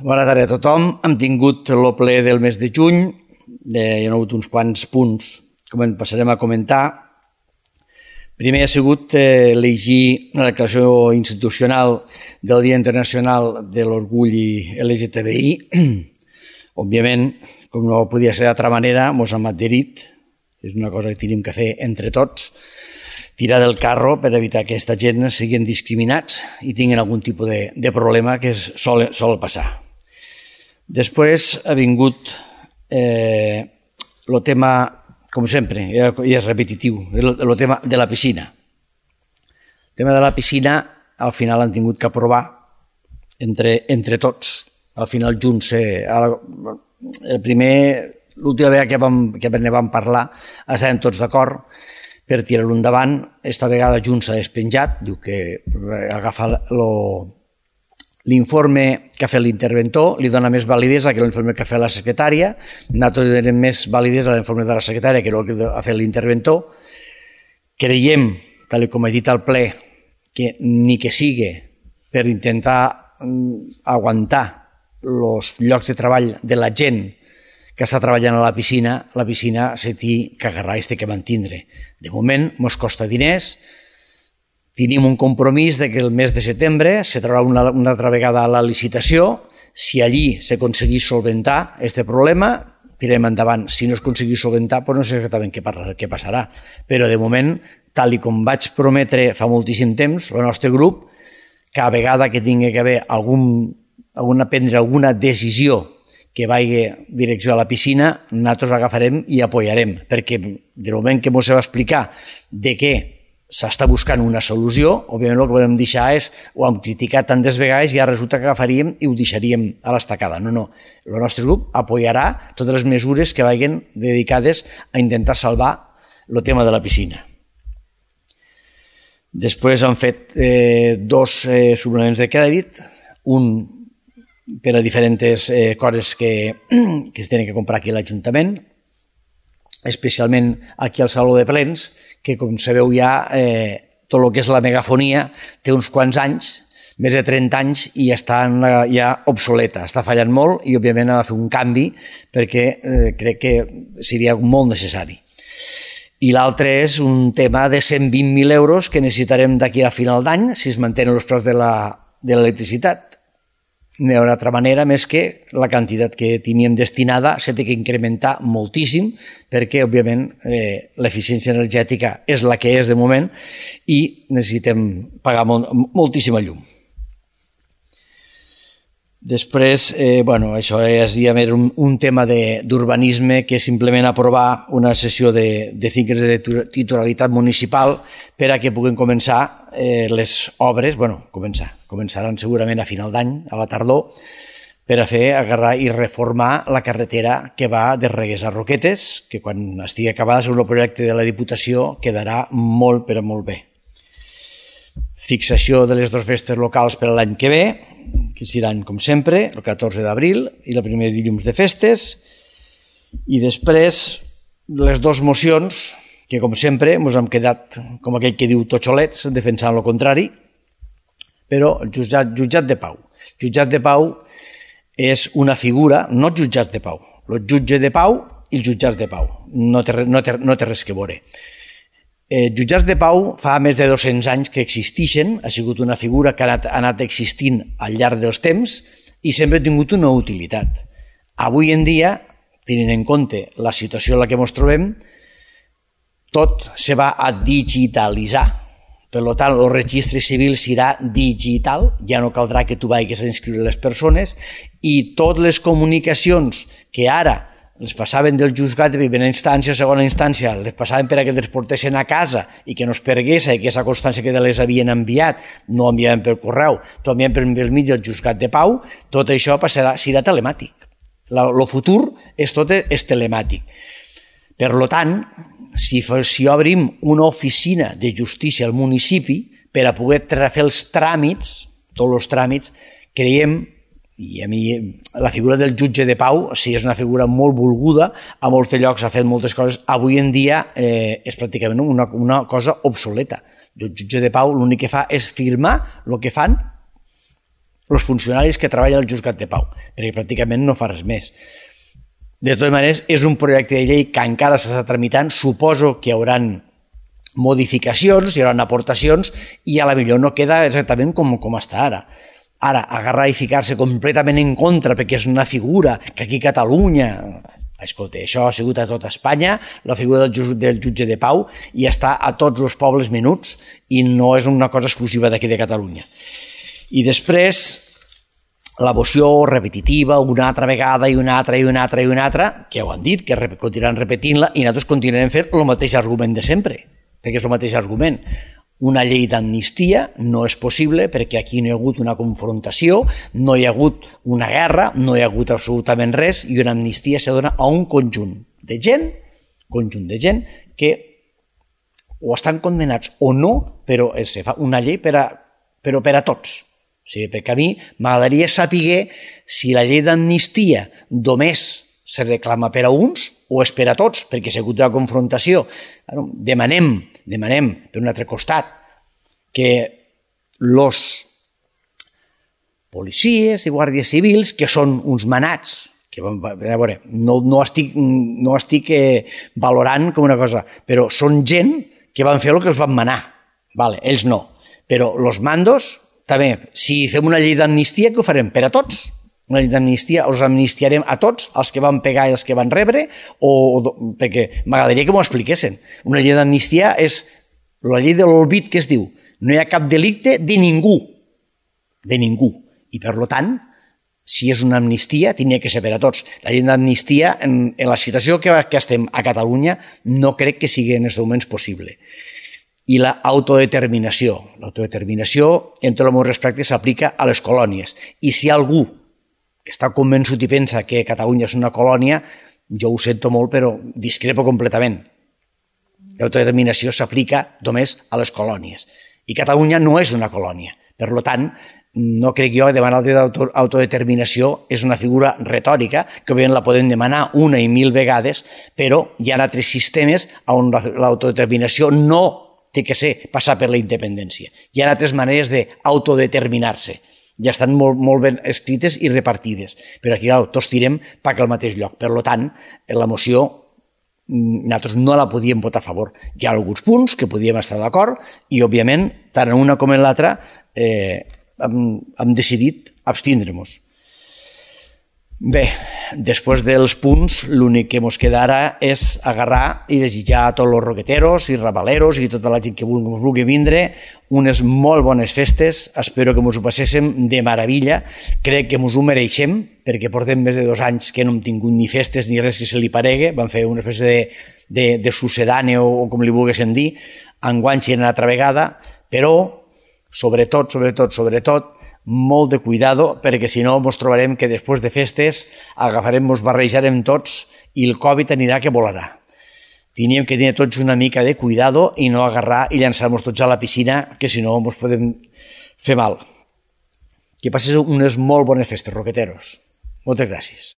Bona tarda a tothom. Hem tingut el ple del mes de juny. Hi ha hagut uns quants punts que passarem a comentar. Primer ha sigut llegir una declaració institucional del Dia Internacional de l'Orgull LGTBI. Òbviament, com no podia ser d'altra manera, ens hem adherit. És una cosa que tenim que fer entre tots. Tirar del carro per evitar que aquesta gent siguin discriminats i tinguin algun tipus de problema que sol passar. Després ha vingut el tema, com sempre, i és repetitiu, el tema de la piscina. El tema de la piscina al final han tingut que aprovar entre tots. Al final junts, l'última vegada que ne vam parlar estàvem tots d'acord per tirar-lo endavant. Esta vegada Junts s'ha despenjat, diu que agafa l'informe que ha fet l'interventor, li dona més validesa que l'informe que ha fet la secretària, nosaltres donem més validesa a l'informe de la secretària que el que ha fet l'interventor. Creiem, tal com he dit al ple, que ni que sigui per intentar aguantar els llocs de treball de la gent que està treballant a la piscina se té que agarrar i se té que mantindre. De moment, ens costa diners, tenim un compromís de que el mes de setembre se traurà una altra vegada la licitació. Si allí s'aconseguís solventar aquest problema, tirarem endavant. Si no s'aconseguís solventar, doncs no sé exactament què passarà. Però de moment, tal com vaig prometre fa moltíssim temps, el nostre grup, cada vegada que tingui que haver prendre alguna decisió que vagi direcció a la piscina, nosaltres l'agafarem i apoyarem, perquè del moment que ens va explicar de què s'està buscant una solució, òbviament el que volem deixar és, ho hem criticat tantes vegades i ara resulta que agafaríem i ho deixaríem a l'estacada. No. El nostre grup apoyarà totes les mesures que vagin dedicades a intentar salvar el tema de la piscina. Després han fet dos suplements de crèdit, un per a diferents coses que es tenen que comprar aquí a l'Ajuntament, especialment aquí al Saló de Plens, que com sabeu ja tot el que és la megafonia té uns quants anys, més de 30 anys, i està ja obsoleta, està fallant molt i òbviament ha de fer un canvi perquè crec que seria molt necessari. I l'altre és un tema de 120.000 euros que necessitarem d'aquí a final d'any si es mantenen els preus de l'electricitat. No hi ha una altra manera més que la quantitat que teníem destinada s'ha de incrementar moltíssim perquè, òbviament, l'eficiència energètica és la que és de moment i necessitem pagar moltíssima llum. Després, això és un tema d'urbanisme que és simplement aprovar una sessió de finques de titularitat municipal per a que puguin començar les obres, començaran segurament a final d'any, a la tardor, per a agarrar i reformar la carretera que va de Reguers a Roquetes, que quan estigui acabada, segons el projecte de la Diputació, quedarà molt, però molt bé. Fixació de les dues festes locals per a l'any que ve, que seran, com sempre, el 14 d'abril i el primer dilluns de festes, i després les dues mocions, que com sempre ens hem quedat, com aquell que diu totxolets, defensant el contrari, però el jutjat de pau. El jutjat de pau és una figura, no jutjats de pau, el jutge de pau i els jutjats de pau, no té res que veure. Jutjats de pau fa més de 200 anys que existeixen, ha sigut una figura que ha anat existint al llarg dels temps i sempre ha tingut una utilitat. Avui en dia, tenint en compte la situació en la que ens trobem, tot se va a digitalitzar. Per tant, el registre civil serà digital, ja no caldrà que tu vagis a inscriure les persones i totes les comunicacions que ara les passaven del juzgat de primera instància o segona instància, les passaven per a que les portessin a casa i que no es pergués i que aquesta constància que les havien enviat no enviaven per correu, tot enviaven per mig del juzgat de pau, tot això serà telemàtic. El futur tot és telemàtic. Per tant, si obrim una oficina de justícia al municipi per a poder fer els tràmits, tots els tràmits, creiem. I a mi la figura del jutge de pau sí és una figura molt volguda, a molts llocs ha fet moltes coses, avui en dia és pràcticament una cosa obsoleta. El jutge de pau l'únic que fa és firmar el que fan els funcionaris que treballen al Jutjat de Pau, perquè pràcticament no fa res més. De totes maneres, és un projecte de llei que encara s'està tramitant, suposo que hi haurà modificacions, hi haurà aportacions, i a la millor no queda exactament com està ara. Ara, agarrar i ficar-se completament en contra perquè és una figura que aquí a Catalunya... Escolta, això ha sigut a tot Espanya, la figura del jutge de pau, i està a tots els pobles menuts i no és una cosa exclusiva d'aquí de Catalunya. I després, la moció repetitiva, una altra vegada i una altra i una altra i una altra, que ho han dit, que continuaran repetint-la, i nosaltres continuarem fent el mateix argument de sempre, perquè és el mateix argument. Una llei d'amnistia no és possible perquè aquí no hi ha hagut una confrontació, no hi ha hagut una guerra, no hi ha hagut absolutament res, i una amnistia se dona a un conjunt de gent que o estan condemnats o no, però se fa una llei per a tots. O sigui, perquè a mi m'agradaria saber si la llei d'amnistia només se reclama per a uns o és per a tots, perquè s'ha hagut una confrontació. Demanem, per un altre costat, que els policies i guàrdies civils, que són uns manats, que a veure, no estic valorant com una cosa, però són gent que van fer el que els van manar. Vale, ells no. Però els mandos, també, si fem una llei d'amnistia, què ho farem? Per a tots? Una llei d'amnistia, els amnistiarem a tots, els que van pegar i els que van rebre, perquè m'agradaria que m'ho expliquessin. Una llei d'amnistia és la llei de l'olbit, que es diu, no hi ha cap delicte de ningú, i per tant, si és una amnistia, tenia que ser per a tots. La llei d'amnistia, en la situació que estem a Catalunya, no crec que sigui en aquests moments possible. I l'autodeterminació. L'autodeterminació, en tot el meu respecte, s'aplica a les colònies. I si algú que està convençut i pensa que Catalunya és una colònia, jo ho sento molt, però discrepo completament. L'autodeterminació s'aplica només a les colònies. I Catalunya no és una colònia. Per tant, no crec jo que demanar l'autodeterminació és una figura retòrica, que òbviament la podem demanar una i mil vegades, però hi ha altres sistemes on l'autodeterminació no té que ser passar per la independència. Hi ha altres maneres d'autodeterminar-se. Ja estan molt ben escrites i repartides. Però aquí tots tirem cap al mateix lloc. Per tant, la moció nosaltres no la podíem votar a favor. Hi ha alguns punts que podíem estar d'acord i, òbviament, tant en una com en l'altra hem decidit abstindre-nos. Bé, després dels punts, l'únic que ens queda ara és agarrar i desitjar a tots els roqueteros i rabaleros i tota la gent que vulgui vindre unes molt bones festes. Espero que ens ho passéssim de meravella. Crec que ens ho mereixem, perquè portem més de 2 anys que no hem tingut ni festes ni res que se li paregui. Vam fer una espècie de sucedani o com li volguéssim dir. Enguany serà una altra vegada, però sobretot, molt de cuidado, perquè si no ens trobarem que després de festes ens barrejarem tots i el Covid anirà que volarà. Teníem que tenir tots una mica de cuidado i no agarrar i llançar-nos tots a la piscina, que si no ens podem fer mal. Que passes unes molt bones festes, roqueteros. Moltes gràcies.